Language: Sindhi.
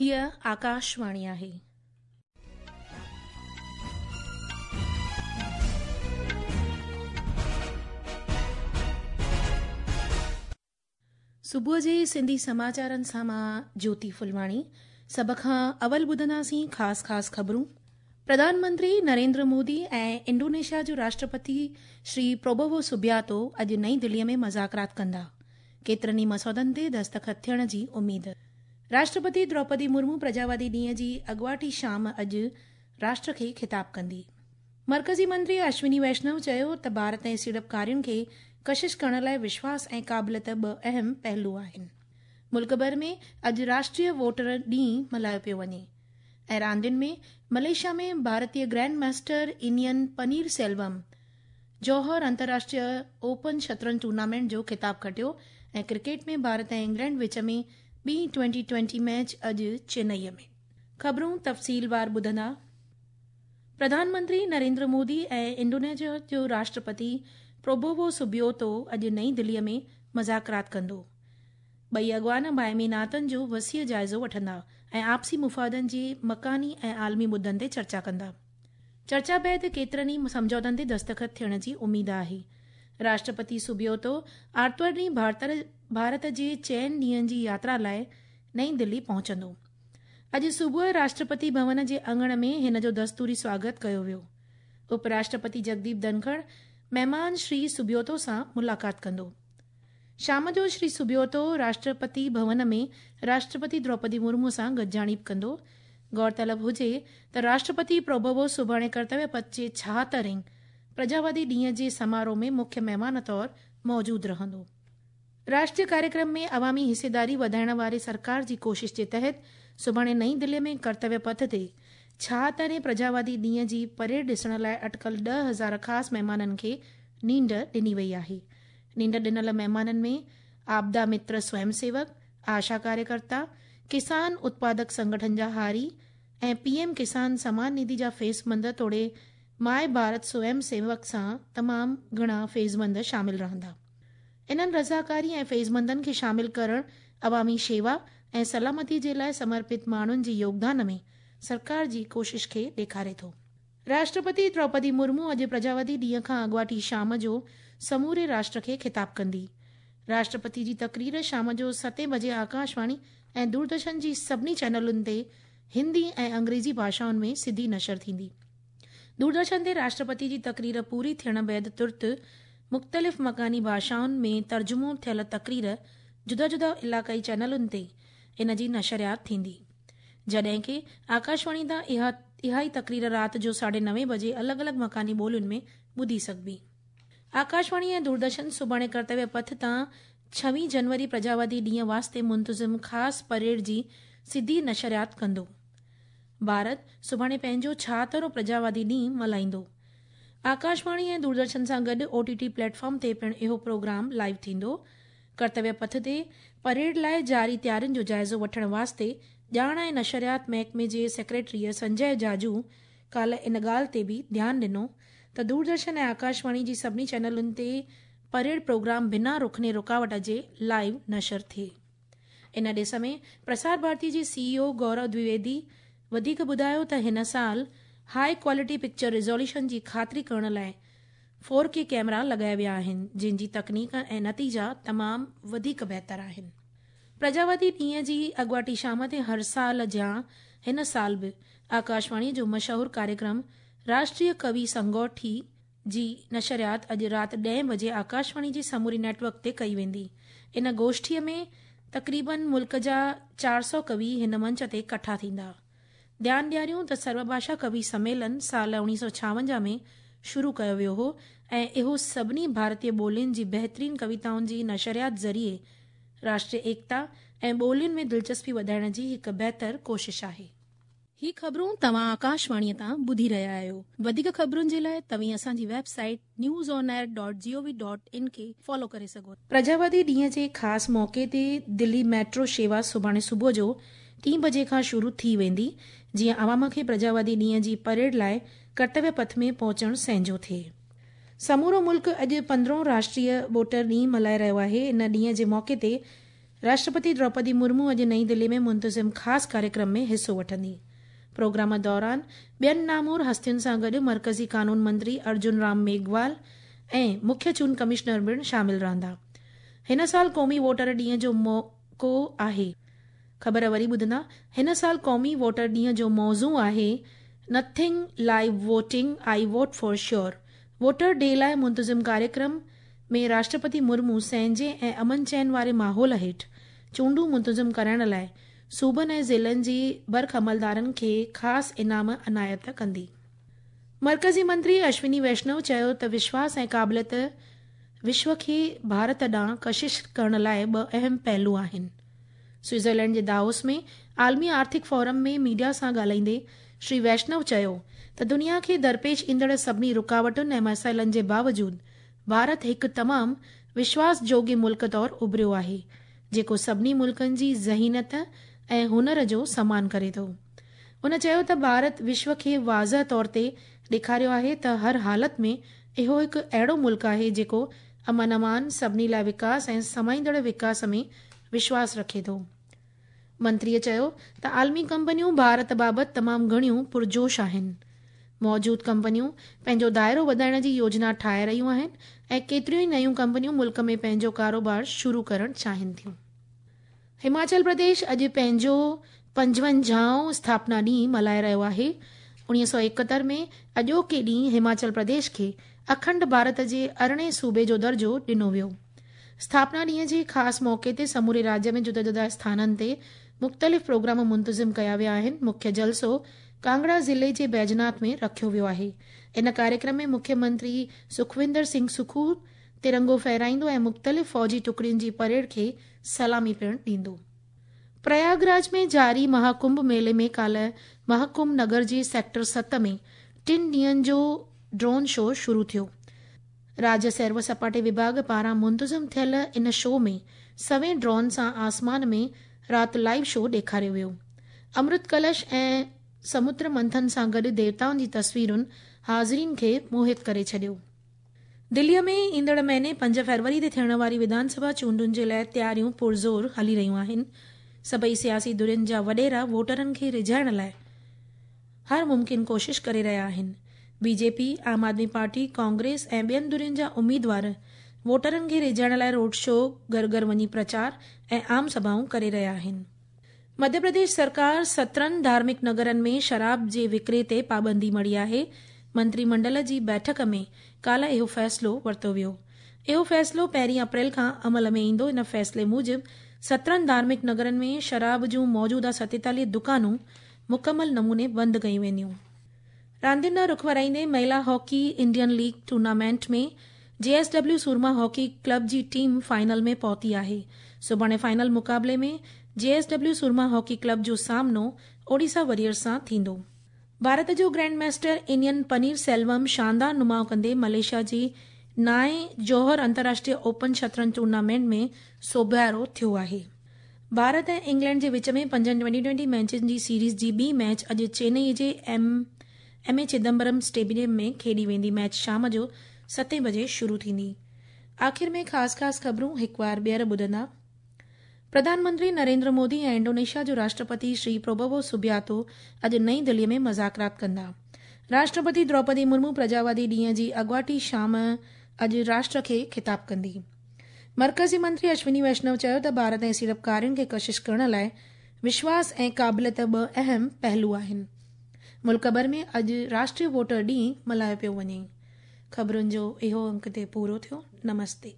هيء آڪاشواڻي آهي. صبح جي سنڌي سماچارن سان مان جوتي ڦلواڻي سڀ کان اول ٻڌنداسين خاص خاص خبرون. پرڌان منتري نريندر مودي ۽ انڊونيشيا جو راشٽرپتي شري پروبوو سوبياتو اڄ نئين دلي ۾ مذاڪرات ڪندا. ڪيترن ئي مسودن تي دستخط ٿيڻ جي اميد. راشٽرپتي دروپدي مرمو پرجاوادي ڏينهن جي اڳواٽي شام اڄ راشٽر کي خطاب ڪندي. مرڪزي منتري اشوني ويشنو چيو ته ڀارت ۽ سيڙپڪارين کي ڪشش ڪرڻ لاء وشواس ۽ قابليت ٻه اهم پهلو آهن. ملڪ ڀر ۾ اڄ راشٽريه ووٽر ڏينهن ملهايو پيو وڃي ۽ راندين ۾ ملائيشيا ۾ ڀارتي گرينڊ ماسٽر انين پنير سيلوم جوهر انترراشٽريه اوپن شطرنج ٽورنامينٽ جو خطاب کٽيو ۽ ڪرڪيٽ ۾ ڀارت ۽ انگلينڊ وچ ۾ ٻي ٽوئنٽي ٽوئنٽي ميچ اڄ چنئي ۾. خبرون تفصيلوار ٻڌندا. پرڌان منتري نريندر مودي ۽ انڊونيشيا جو راشٽرپتي پروبوو سوبيوتو اڄ نئين دلي ۾ مذاڪرات ڪندو. ٻئي اڳواڻ باهمي ناتن جو وسيع جائزو وٺندا ۽ آپسي مفادن جي مڪاني ۽ عالمي مدن تي چرچا ڪندا. چرچا بعد ڪيترن ئي سمجهوتن تي دستخط ٿيڻ جي اميد آهي. راشٽرپتي سوبيوتو آرتوار ڏينهن ڀارت جي چئن ڏينهن جي ياترا لاء نئين دلي پهچندو. اڄ صبح راشٽرپتي ڀون جي اڱڻ ۾ هن جو دستوري سواگت ڪيو ويو. اپ راشٽرپتي جگديپ ڌنکڙ مهمان شري سوبيوتو سان ملاقات ڪندو. شام جو شري سوبيوتو راشٽرپتي ڀون ۾ راشٽرپتي دروپدي مرمو سان گڏجاڻي به ڪندو. غور طلب هجي ته راشٽرپتي پروبوو سڀاڻي ڪرتويه پٿ جي ڇاهترهين پرجاوادي ڏينهن جي سماروهه ۾ مکيه مهمان طور موجود رهندو. راشٽريه ڪاريڪرم ۾ عوامي حصيداري وڌائڻ واري سرڪار جي ڪوشش جي تحت سڀاڻي نئين دلي ۾ ڪرتويه پٿ تي ڇاهترهين پرجاوادي ڏينهن جي پريڊ ڏسڻ لاء اٽڪل 10,000 خاص مهمانن کي نينڍ ڏني وئي آهي. نينڍ ڏنل مهمانن ۾ آپدا متر سويم سيوڪ، آشا ڪاريڪرتا، ڪسان اتپادڪ سنگٺن جا هاري ۽ پي ايم ڪسان سمان نڌي جا فيضمند توڙي ماء ڀارت سويم سيوڪ سان تمام گهڻا فيضمند شامل رهندا. انهن رضاڪاري ۽ فيضمندن کي شامل ڪرڻ عوامي شيوا ۽ سلامتي جي لاء سمرپت ماڻهن جي يوگدان ۾ سرڪار جي ڪوشش کي ڏيکاري ٿو. راشٽرپتي دروپدي مرمو اڄ پرجاوادي ڏينهن کان اڳواٽي شام جو سموري راشٽر کي خطاب ڪندي. راشٽرپتي جي تقرير شام جو ستين بجي آڪاشواڻي ۽ دوردرشن جي سڀني چينلن تي هندي ۽ انگريزي ڀاشائن ۾ سڌي نشر ٿيندي. دوردرشن تي راشٽرپتي جي تقرير پوري ٿيڻ بعد ترت مختلف مڪاني ڀاشائن ۾ ترجمو ٿيل تقرير جدا جدا علائقائي چينلن تي ان جي نشريات ٿيندي. جڏهن ڪي آڪاشواڻي تان اها اها ئي تقرير رات جو ساڍي نوين بجي الڳ الڳ مڪاني ٻولين ۾ ٻڌي سگهبي. آڪاشواڻي ۽ دوردرشن سڀاڻي ڪرتويه پٿ تان ڇويهين جنوري پرجاوادي ڏينهن واسطي منتظم خاص پريڊ جي سڌي نشريات ڪندو. ڀارت سڀاڻي پنهنجو ڇاهترهون پرجاوادي ڏينهن ملهائيندو. آڪاشواڻي ۽ دوردرشن سان گڏ او ٽي ٽي پليٽ فارم تي پڻ اهو پروگرام لائيو ٿيندو. ڪرتويه پٿ تي پريڊ لاء جاري تيارين جو جائزو وٺڻ واسطي ڄاڻ ۽ نشريات محڪمي جي سيڪريٽريء سنجي جاجو ڪالهه ان ڳالهه تي به ڌيان ڏنو ته دوردرشن ۽ آڪاشواڻي جي سڀني چينلن تي پريڊ پروگرام بنا رخني رڪاوٽ جي لائيو نشر ٿئي. ان ڏس ۾ پرسار ڀارتي جي سي اي او گورو دويدي وڌيڪ ٻڌايو ته هن سال هاء ڪوالٽي پڪچر ريزوليوشن جي خاطري ڪرڻ لاء فور ڪي ڪئميرا لڳايا ويا آهن، جن جي تڪنيڪ ۽ نتيجا تمام وڌيڪ بهتر آهن. پرجاوادي ڏينهن جي اڳواٽي شام تي هر سال جيان هن سال به آڪاشواڻي جو مشهور ڪاريڪرم راشٽريه ڪوي سنگوٺي جي نشريات اڄ رات ڏهين بجي آڪاشواڻي جي سموري نيٽ ورڪ تي ڪئي ويندي. ان گوشٺيء ۾ تقريبن ملڪ جا 400 ڪوي هن منچ تي ڪٺا ٿيندا. ڌيان ڏياريون ته سرو ڀاشا ڪوي سميلن سال 1956 ۾ شروع ڪيو ويو هو ۽ اهو سڀني ڀارتيه ٻولين جي بهترين ڪويتائن جي نشريات ذريعي راشٽريه ايڪتا ۽ ٻولين ۾ دلچسپي وڌائڻ جي هڪ بهتر ڪوشش آهي. هي خبرون توهان آڪاشواڻيء تان ٻڌي رهيا آهيو. وڌيڪ خبرن جي لاء توهين اسان جي website news on air dot G O V dot in کي فالو ڪري سگهو ٿا. پرجاوادي ڏينهن جي خاص موقعي تي دلي ميٽرو شيوا سڀاڻي صبح جو ٽين بجي کان شروع ٿي ويندي، جيئن عوام کي پرجاوادي ڏينهن جي پريڊ لاء ڪرتويه پٿ ۾ پهچڻ سهنجو ٿئي. سمورو ملڪ اڄ پندرهون راشٽريه ووٽر ڏينهن ملهائي رهيو آهي. ان ڏينهن جي موقعي تي راشٽرپتي دروپدي مرمو اڄ نئين دلي ۾ منتظم خاص ڪاريڪرم ۾ حصو وٺندي. پروگرام دوران ٻين نامور هستين سان گڏ مرڪزي قانون منتري ارجن رام ميگهوال ۽ مکيه چونڊ ڪمشنر پڻ شامل رهندا. هن سال قومي ووٽر ڏينهن جو موقعو آهي. خبر وري ٻڌندا، هن سال قومي ووٽر ڏينهن جو موضوع آهي nothing like voting I vote for sure. Voter day لاء منتظم ڪاريڪرم ۾ راشٽرپتي مرمو سهنجي ۽ امن چين واري ماحول هيٺ چونڊون منتظم ڪرائڻ لاء صوبن ۽ ضلعن جي برک عملدارن کي خاص انعام عنايت ڪندي. مرڪزي منتري اشوني ويشنو چيو ته وشواس ۽ قابليت وشو کي ڀارت ڏانهن ڪشش ڪرڻ لاء ٻه اهم پهلو آهن. سوئٽزرلينڊ جي دائوس ۾ عالمي آرٿڪ فورم ۾ ميڊيا سان ڳالهائيندي شري ويشنو چيو ته دنيا کي درپيش ايندڙ سڀني رڪاوٽن ۽ مسئلن جي باوجود ڀارت هڪ تمام وشواس جوڳي ملڪ طور اڀريو آهي جيڪو سڀني ملڪن جي ذهينت ۽ هنر جو سمان ڪري ٿو. هن چيو ته ڀارت وشو کي واضح طور تي ڏيکاريو آهي ته هر حالت ۾ اهو هڪ اهڙو ملڪ آهي جيڪو امن امان، سڀني لاء وڪاس ۽ سمائيندڙ وڪاس ۾ وشواس رکي ٿو. منتريء چيو ته عالمي ڪمپنيون ڀارت بابت تمام گهڻيون پرجوش آهن. موجود ڪمپنيون پنهنجو دائرو وڌائڻ جي يوجنا ٺاهي رهيون آهن ۽ ڪيتريون ئي نيون ڪمپنيون ملڪ ۾ پنهنجو ڪاروبار شروع ڪرڻ چاهين ٿيون. هماچل پرديش اڄ پنهنجو پنجونجاهون اسٿاپنا ڏينهن ملهائي رهيو آهي. 1971 ۾ اڄوڪي ڏينهن هماچل پرديش کي اکنڊ ڀارت جي ارڙهين صوبي جو درجو ڏنو ويو. اسٿاپنا ڏينهن جي خاص موقعي تي سموري راجيه ۾ جدا جدا اسٿانن تي مختلف پروگرام منتظم ڪيا ويا آهن. مکيه جلسو ڪانگڙا ضلعي جي بيجناٿ ۾ رکيو ويو آهي. ان ڪاريڪرم ۾ مکيه منتري سکوندر سنگهه سکو ترنگو ڦهرائيندو ۽ مختلف فوجي ٽڪڙين جي پريڊ کي سلامي پڻ ڏيندو. پرياگراج ۾ جاري مهاڪنڀ ميلي ۾ ڪالهه مهاڪنڀ نگر جي سيڪٽر ست ۾ ٽن ڏينهن جو ڊرون شو شروع ٿيو. راجيه سير و سپاٽي وڀاڳ پاران منتظم ٿيل ان شو ۾ سوين ڊرون سان آسمان ۾ رات لائيو شو ڏيکاريو ويو. امرت ڪلش ۽ سمتر منٿن سان گڏ ديوتائن جي تصويرن حاضرين کي موهت ڪري ڇڏيو. دليء ۾ ايندڙ مهيني پنج فيبروري تي ٿيڻ واري وڌان سڀا چونڊن جي لاء تياريون پرزور هلي رهيون آهن. سڀئي سياسي ڌرين جا وڏيرا ووٽرن کي ريجهائڻ لاء هر ممڪن ڪوشش ڪري رهيا آهن. بي جي پي، عام آدمي پارٽي، ڪانگريس ۽ ٻين ڌرين جا اميدوار ووٽرن کي ريجهائڻ لاء روڊ شو، گهر گهر وڃي پرچار ۽ عام سڀائون ڪري رهيا آهن. مڌيه پرديش سرڪار 17 ڌارمڪ نگرن ۾ شراب جي وڪري تي پابندي مڙهي آهي. منتري منڊل جي بيٺڪ ۾ ڪالهه اهو فيصلو ورتو ويو. اهو فيصلو پهرين اپريل کان عمل ۾ ايندو. ان فيصلي موجب 17 ڌارمڪ نگرن ۾ شراب جون موجوده 47 دڪانون مڪمل نموني بند ڪيون وينديون. راندين ڏانهن رخ ورائيندي مهلا hockey Indian league tournament ۾ J S W Soorma hockey club جي ٽيم فائنل ۾ پهتي آهي. سڀاڻي فائنل مقابلي ۾ J S W Soorma hockey club جو سامنو اوڊيسا وريئرز سان ٿيندو. ڀارت جو گرينڊ ماسٽر انين پنير سيلوم شاندار نماء ڪندي ملائيشيا جي نائين جوهر انترراشٽريه اوپن شطرنج ٽورنامينٽ ۾ سوڀارو ٿيو آهي. ڀارت ۽ انگلينڊ جي وچ ۾ پنجن ٽوئنٽي ٽوئنٽي ميچن جي سيريز جي ٻي ميچ اڄ چينئي جي ايم اي چدمبرم اسٽيڊيم ۾ کيڏي ويندي. ميچ شام جو ستين بجي شروع ٿيندي. آخر ۾ خاص خاص خبرون هڪوار ٻيهر ٻڌندا. پرڌان منتري نريندر مودي ۽ انڊونيشيا جو راشٽرپتي شري پروبوو سوبياتو اڄ نئين دلي ۾ مذاڪرات ڪندا. راشٽرپتي دروپدي مرمو پرجاوادي ڏينهن جي اڳواٽي شام اڄ راشٽر کي خطاب ڪندي. مرڪزي منتري اشوني ويشنو چيو ته ڀارت ۽ سيڙپڪارين کي ڪشش ڪرڻ لاء وشواس ۽ قابليت ٻه اهم پهلو آهن. ملڪ ڀر ۾ اڄ راشٽريه ووٽر ڏينهن ملهايو پيو وڃي. خبرن جو اهو انڪ هتي پورو ٿيو. نمستي.